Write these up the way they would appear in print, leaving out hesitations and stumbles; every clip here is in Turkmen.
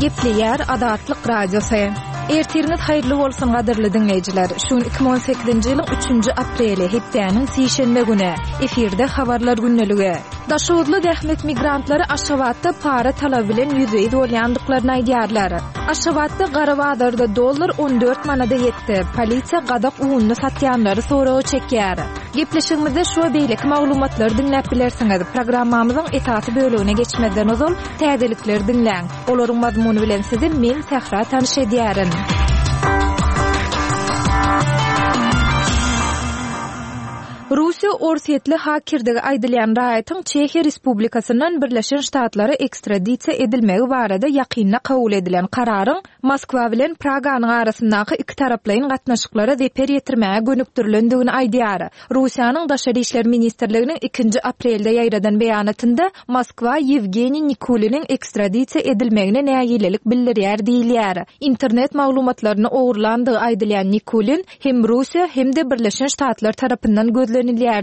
Gepleýär Azatlyk Radiosy. Ertiriňiz haýyrly bolsun gadyrly diňleýjiler. Şu gün 2018-nji ýylyň 3-nji apreli, hepdäniň sişenbe güni. Efirde habarlar gündeligi. Daşoguzly zähmet migrantlary Aşgabatda para talaby bilen ýüzbe-ýüz bolýandyklaryny aýdýarlar. Aşgabatda gara bazarda dollar 14 manada ýetdi. Polisiýa gazak ununy satýanlary soraga çekýär. Gepleşigimizde şu we beýleki maglumatlary diňläp bilersiňiz. Programmamyzyň esasy bölegine geçmezden ozal, täzelikleri diňläň. Olaryň mazmuny bilen sizi men, Sähra tanyş edýärin. Russiýa orsýetli hakirdigi aýdylýan raýatyň Çehiýa Respublikasyndan Birleşen Ştatlara ekstradisiýa edilmegi barada ýakynda kabul edilen kararyň Moskwa bilen Praganyň arasyndaky ikitaraplaýyn gatnaşyklara zeper ýetirmäge gönükdirilendigini aýdýar. Russiýanyň Daşary işler ministrliginiň ikinji aprelde ýaýradan beýanatynda Moskwa Ýewgeniý Nikuliniň ekstradisiýa edilmegine nägilelik bildirýär diýilýär. Internet maglumatlaryny ogurlandygy aýdylýan Nikulin hem Russiýa, hem-de Birleşen Ştatlar tarapyndan gözlenilýärdi.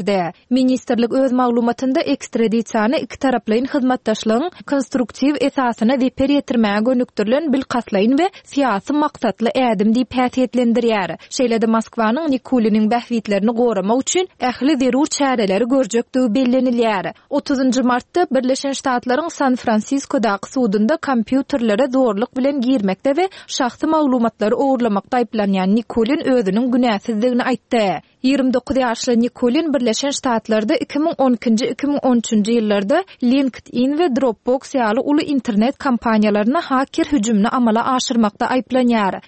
Ministrlik öz maglumatynda ekstradisiýany ikitaraplaýyn hyzmatdaşlygyň konstruktiw esasyna zeper ýetirmäge gönükdirilen bilkastlaýyn we syýasy maksatly ädim diýip häsiýetlendirýär. Şeýle-de Moskwanyň Nikuliniň bähbitlerini goramak üçin ähli zerur çäreleri görjekdigi bellenilýär. Otuzynjy martda Birleşen Ştatlaryň San-Fransiskodaky sudunda kompýuterlere zorluk bilen girmekde we şahsy maglumatlary ogurlamakda aýyplanýan Nikulin özüniň günäsizdigini aýtdy. 29 ýaşly Nikulin Birleşen Ştatlarda 2012-nji, 2013-nji ýyllarda LinkedIn we Dropbox ýaly uly internet kompaniýalaryna haker hüjümini amala aşyrmakda aýyplanýar.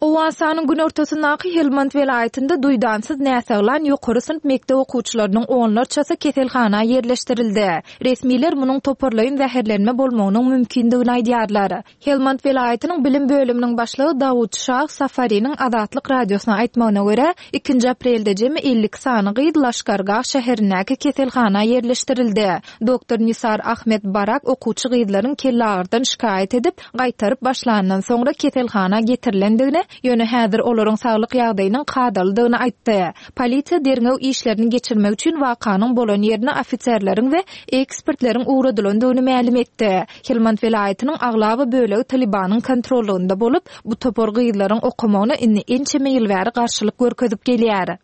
Owganystanyň günortasyndaky Helmand welaýatynda duýdansyz näsaglan ýokary synp mekdep okuwçylarynyň onlarçasy keselhana ýerleşdirildi. Resmiler munuň toparlaýyn zäherlenme bolmagynyň mümkindigini aýdýarlar. Helmand welaýatynyň bilim bölüminiň başlygy Dawud Şah Safariniň Azatlyk Radiosyna aýtmagyna görä, ikinji aprelde jemi 52 sany gyz Laşkargah şäherindäki keselhana ýerleşdirildi. Doktor Nisar Ahmed Barak okuwçy gyzlaryň kellagyrdan şikaýat edip, gaýtaryp başlandan soňra keselhana getirilendigini, ýöne häzir olaryň saglyk ýagdaýynyň kadalydygyny aýtdy. Polisiýa derňew işlerini geçirmek üçin wakanyň bolan ýerine ofiserleriň we ekspertleriň ugradylandygyny mälim etdi. Helmand welaýatynyň aglaba bölegi Talybanyň kontrollygynda bolup, bu topar gyzlaryň okamagyna indi ençeme ýyl bäri garşylyk görkezip gelýär.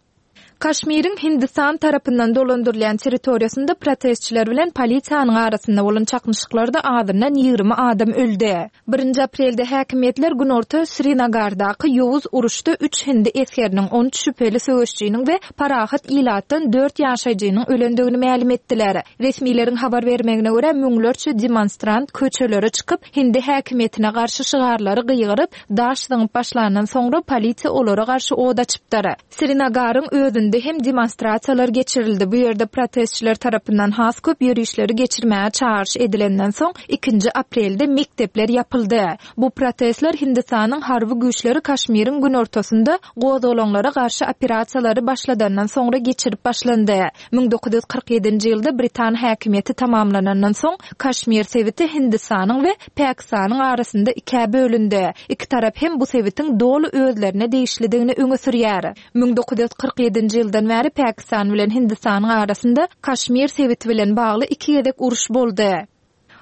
Kaşmiriň Hindistan tarapyndan dolandyrylýan territoriýasynda protestçiler bilen polisiýanyň arasynda bolan çaknyşyklarda azyndan 20 adam öldi. Birinji aprelde häkimiýetler günorta Srinagardaky ýowuz uruşda üç hindi esgeriniň, 13 şübheli söweşijiniň we parahat ilatdan dört ýaşaýjynyň ölendigini mälim etdiler. Resmileriň habar bermegine görä, müňlerçe demonstrant köçelere çykyp, hindi häkimiýetine garşy şygarlary gygyryp, daş zyňyp başlandan soňra polisiýa olara garşy ot açypdyr. Srinagaryň özünde hem demonstrasiýalar geçirildi, bu ýerde protestçiler tarapyndan has köp ýörişleri geçirmäge çagyryş edilenden soň, ikinji aprelde mekdepler ýapyldy. Bu protestler Hindistanyň harby güýçleri Kaşmiriň günortasynda gozgalaňlara garşy operasiýalary başladandan soňra geçirip başlandy. 1947-nji ýylda britan häkimiýeti tamamlanandan soň, Kaşmir sebiti Hindistanyň we Pakistanyň arasynda ikä bölündi. Iki tarap hem bu sebitiň doly özlerine degişlidigini öňe sürýär. 1947-nji ýyldan bäri Pakistan bilen Hindistanyň arasynda Kaşmir sebiti bilen bagly iki gezek uruş boldy.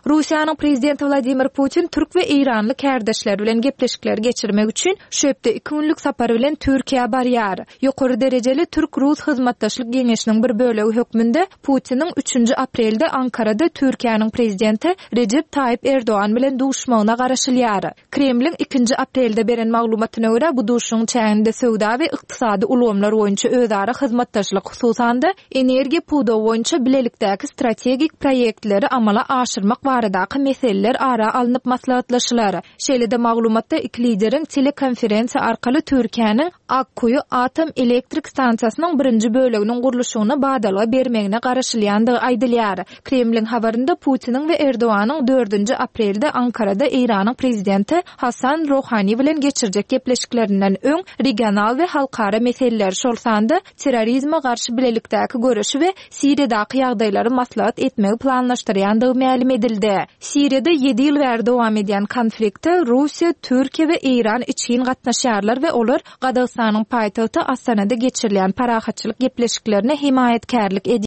Russiýanyň Prezidenti Wladimir Putin türk we eýranly kärdeşleri bilen gepleşikleri geçirmek üçin şu hepde iki günlük sapar bilen Türkiýä barýar. Ýokary derejeli türk-rus hyzmatdaşlyk geňeşiniň bir bölegi hökmünde Putiniň üçünji aprelde Ankarada Türkiýäniň Prezidenti Rejep Taýyp Erdogan bilen duşmagyna garaşylýar. Kremliň ikinji aprelde beren maglumatyna görä, bu duşuşygyň çäginde söwda we ykdysady ulgamlar boýunça özara hyzmatdaşlyk, hususan-da, energiýa pudagy boýunça bilelikdäki strategik proýektleri amala aşyrmak baradaky meseleler ara alnyp maslahatlaşylar. Şeýle-de maglumatda iki lideriň telekonferensiýa arkaly Türkiýäniň Akkuýu atom elektrik stansiýasynyň birinji böleginiň gurluşygyna badalga bermegine garaşylýandygy aýdylýar. Kremliň habarynda Putiniň we Erdoganyň dördünji aprelde Ankarada Eýranyň prezidenti Hasan Rohani bilen geçirjek gepleşiklerinden öň regional we halkara meseleleri, şol sanda terrorizme garşy bilelikdäki göreşi we Siriýadaky ýagdaýlary maslahat etmegi planlaşdyrýandygy mälim edildi. Siriýada ýedi ýyl bäri dowam edýän konflikte Russiýa, Türkiýe we Eýran içgin gatnaşýarlar we olar Gazagystanyň paýtagty Astanada geçirilýän parahatçylyk gepleşiklerine hemaýatkärlik edýärler.